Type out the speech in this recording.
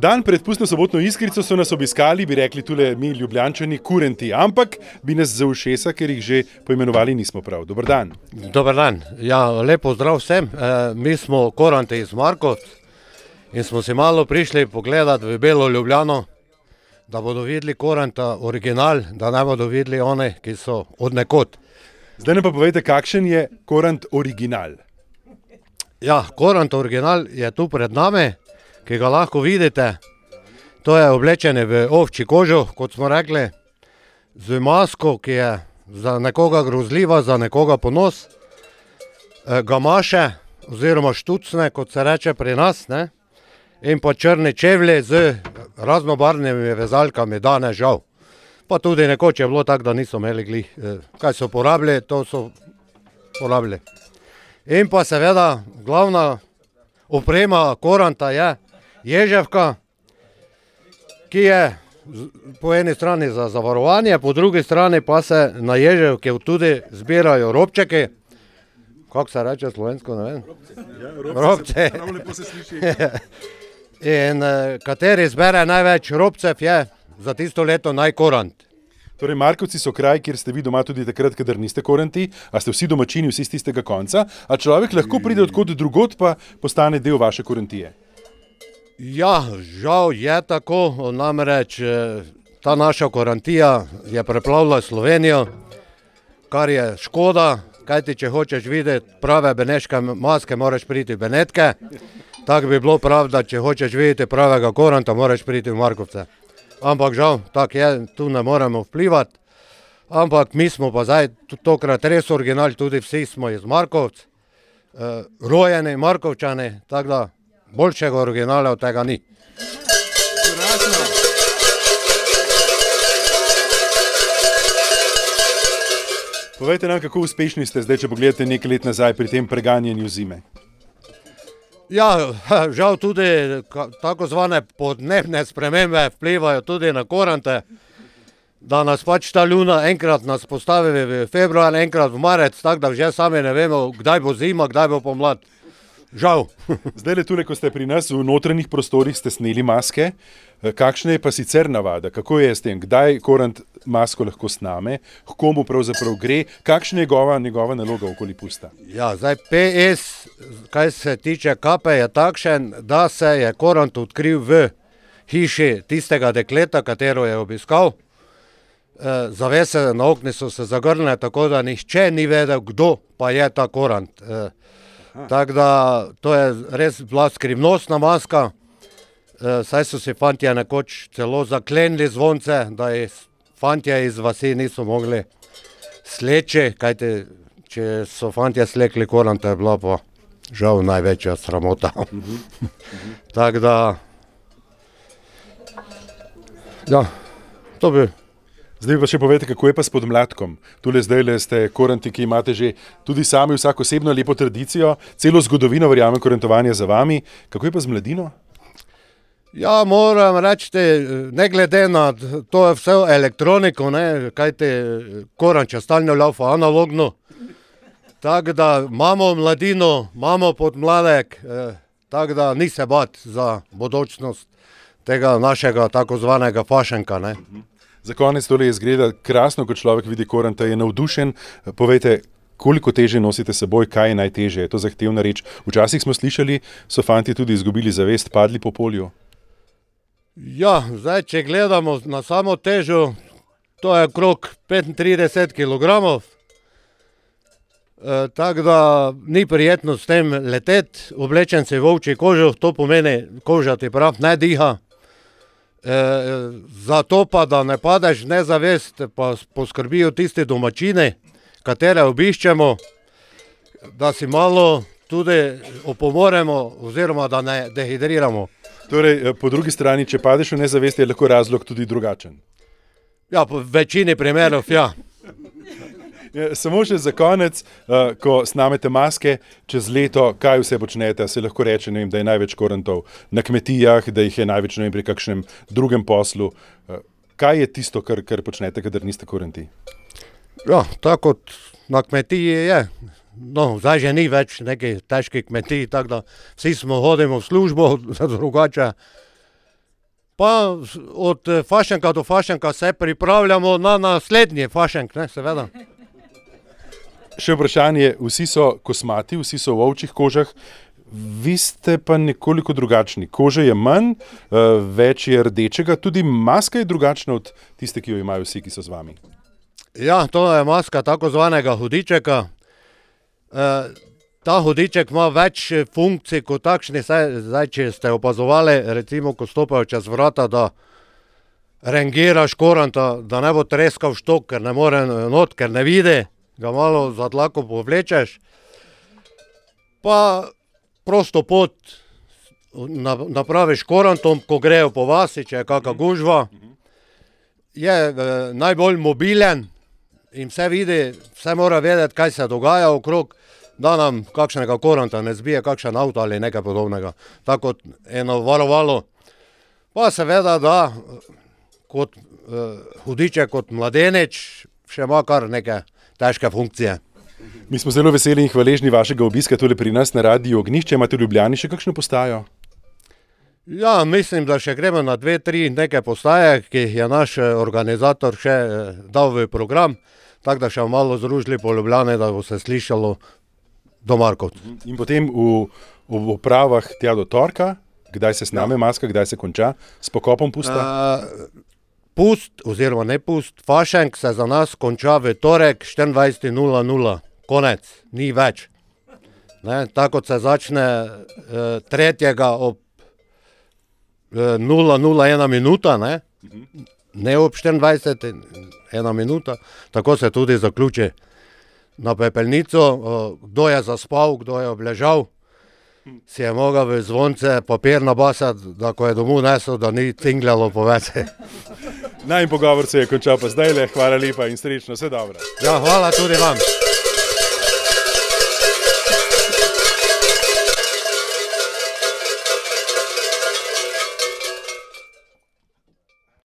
Dan pred pustno sobotno Iskrico so nas obiskali, bi rekli tule mi Ljubljančani, kurenti, ampak bi nas za ušesa, ker jih že poimenovali nismo prav. Dober dan. Dober dan. Ja, lepo zdrav vsem. Mi smo kuranti iz Markovc in smo si malo prišli pogledati v Belo Ljubljano, da bodo videli kuranta original, da ne bodo videli one, ki so od nekod. Zdaj ne pa povejte, kakšen je kurant original. Ja, kurant original je tu pred nami, ki ga lahko vidite. To je oblečene v ovčji kožo, kot smo rekli, z masko, ki je za nekoga grozljiva, za nekoga ponos, gamaše oziroma štucne, kot se reče pri nas, ne? In pa črni čevlji z raznobarvnimi vezalkami, danes žal. Pa tudi nekoč je bilo tako, da niso imeli glih. Kaj so porabili, to so porabili. In pa seveda glavna oprema kuranta je ježevka, ki je po eni strani za zavarovanje, po drugi strani pa se na ježevke tudi zbirajo robčeki. Kako se reče slovensko, ne vem? Robce. Prav lepo se sliši. In kateri zbere največ robcev je za tisto leto najkurant. Torej, Markovci so kraj, kjer ste vi doma tudi takrat, kadar niste kuranti, a ste vsi domačini, vsi z tistega konca, a človek lahko pride odkot drugod, pa postane del vaše kurantije. Ja, žal je tako, namreč ta naša kurantija je preplavila Slovenijo, kar je škoda, kajti če hočeš videti prave beneške maske, moraš priti v Benetke. Tako bi bilo prav, da če hočeš videti pravega kuranta, moraš priti v Markovce. Ampak žal, tako je, tu ne moremo vplivati. Ampak mi smo pa zdaj tokrat res original, tudi vsi smo iz Markovc, rojeni Markovčani, tako da boljšega originala od tega ni. Povejte nam, kako uspešni ste zdaj, če pogledate nekaj let nazaj pri tem preganjanju zime. Ja, žal tudi tako zvane podnebne spremembe vplivajo tudi na kurante, da nas pač ta luna enkrat nas postavi v februar, enkrat v marec, tako da že sami ne vemo, kdaj bo zima, kdaj bo pomlad. Žal. Zdaj le tule, ko ste pri nas v notranjih prostorih, ste sneli maske. Kakšna je pa sicer navada? Kako je s tem? Kdaj kurant masko lahko sname? H komu pravzaprav gre? Kakšna je njegova naloga okoli pusta? Ja, zdaj PS, kaj se tiče kape, je takšen, da se je kurant odkril v hiši tistega dekleta, katero je obiskal. Zavese na okni so se zagrnile, tako da nihče ni vedel, kdo pa je ta kurant. Tako da to je res bila skrivnostna maska, saj so si fantje nekoč celo zaklenili zvonce, da fantje iz vasi niso mogli sleči, kajti če so fantje slekli kuranta, je bila pa žal največja sramota. Tako da, ja, to bi. Zdaj pa še povejte, kako je pa s podmladkom. Tule zdaj ste kuranti, ki imate že tudi sami vsak osebno lepo tradicijo, celo zgodovino, verjamem, kurantovanja za vami. Kako je pa z mladino? Ja, moram reči, ne glede na to je vse elektroniko, ne, kajti kurant če stalno laufa analogno. Tako da imamo mladino, imamo podmladek, tako da ni se bati za bodočnost tega našega tako zvanega fašenka, ne. Za konec tole izgleda krasno, ko človek vidi kuranta, je navdušen. Povejte, koliko teže nosite seboj, kaj je najtežje? Je to zahtevna reč? Včasih smo slišali, so fantje tudi izgubili zavest, padli po polju. Ja, zdaj, če gledamo na samo težo, to je okrog 35 kilogramov. Tako da ni prijetno s tem leteti, oblečen si v ovčji kožo, to pomeni, koža ti prav ne diha. Zato pa, da ne padeš nezavest, pa poskrbijo tisti domačini, katere obiščemo, da si malo tudi opomoremo oziroma da ne dehidriramo. Torej, po drugi strani, če padeš v nezavest, je lahko razlog tudi drugačen. Ja, po večini primerov, ja. Samo še za konec, ko snamete maske, čez leto, kaj vse počnete, se lahko reče, ne vem, da je največ kurantov na kmetijah, da jih je največ, ne vem, pri kakšnem drugem poslu. Kaj je tisto, kar počnete, kadar niste kuranti? Ja, tako kot na kmetiji je. No, zdaj že ni več nekaj težkih kmetij, tako da vsi smo hodimo v službo, drugače Pa od fašenka do fašenka se pripravljamo na naslednji fašenk, ne, seveda. Še vprašanje, vsi so kosmati, vsi so v ovčjih kožah, vi ste pa nekoliko drugačni. Kože je manj, več je rdečega, tudi maska je drugačna od tiste, ki jo imajo vsi, ki so z vami. Ja, to je maska tako zvanega hudičeka. Ta hudiček ima več funkcij kot takšni, zdaj, če ste opazovali, recimo, ko stopajo čez vrata, da rengiraš koranta, da ne bo treskal štok, ker ne more not, ker ne vidi, ga malo za dlako povlečeš. Pa prosto pot napraviš korantom, ko grejo po vasi, če je kakšna gužva. Je najbolj mobilen in vse vidi, vse mora vedeti, kaj se dogaja okrog, da nam kakšnega koranta ne zbije, kakšen avto ali nekaj podobnega. Tako kot eno varovalo. Pa seveda, da kot hudiček, kot mladenič, še ima kar neke težke funkcije. Mi smo zelo veseli in hvaležni vašega obiska tule pri nas na Radiu Ognjišče. Imate v Ljubljani še kakšno postajo? Ja, mislim, da še gremo na 2-3 neke postaje, ki jih je naš organizator še dal v program, tako da še malo združili po Ljubljani, da bo se slišalo do Markov. In potem v opravah tja do torka, kdaj se sname maska, kdaj se konča s pokopom pusta? Pust, oziroma ne pust, fašenk se za nas konča v torek 24:00. Konec, ni več. Ne, tako se začne 3. ob 0:01 minuta, ne ob 24, 1 minuta, tako se tudi zaključi. Na pepelnico, kdo je zaspal, kdo je obležal, si je mogel v zvonce papir nabasati, da ko je domov nesel, da ni cingljalo po vece. In pogovor se je končal pa zdajle, hvala lepa in srečno, vse dobro. Ja, hvala tudi vam.